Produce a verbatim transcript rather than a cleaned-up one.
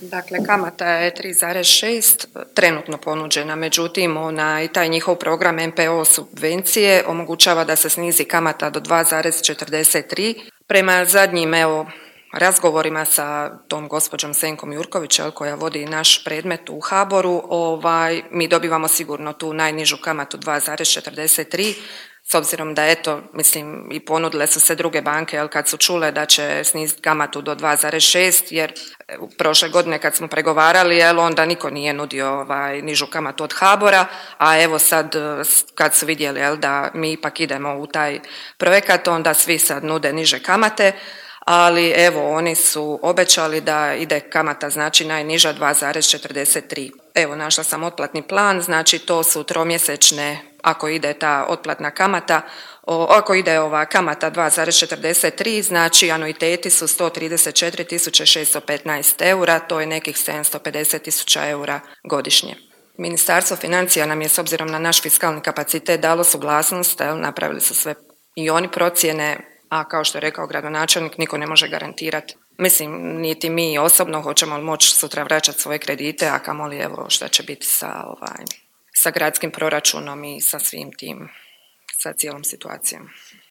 Dakle, kamata je tri zarez šest trenutno ponuđena, međutim onaj, taj njihov program M P O subvencije omogućava da se snizi kamata do dva zarez četrdeset tri. Prema zadnjim evo razgovorima sa tom gospođom Senkom Jurković jel, koja vodi naš predmet u HABOR-u, ovaj, mi dobivamo sigurno tu najnižu kamatu dva zarez četrdeset tri. S obzirom da eto, mislim i ponudile su se druge banke jel, kad su čule da će sniziti kamatu do dva zarez šest jer prošle godine kad smo pregovarali jel, onda niko nije nudio ovaj, nižu kamatu od HABOR-a, a evo sad kad su vidjeli jel, da mi ipak idemo u taj projekat onda svi sad nude niže kamate, ali evo oni su obećali da ide kamata znači najniža dva zarez četrdeset tri. Evo našla sam otplatni plan, znači to su tromjesečne ako ide ta otplatna kamata, o, ako ide ova kamata dva zarez četrdeset tri, znači anuiteti su sto trideset četiri tisuće šesto petnaest eura, to je nekih sedamsto pedeset tisuća eura godišnje. Ministarstvo financija nam je s obzirom na naš fiskalni kapacitet dalo suglasnost, jel, napravili su sve i oni procjene, a kao što je rekao gradonačelnik, niko ne može garantirati. Mislim, niti mi osobno hoćemo li moći sutra vraćati svoje kredite, a kamoli evo šta će biti sa, ovaj, sa gradskim proračunom i sa svim tim, sa cijelom situacijom.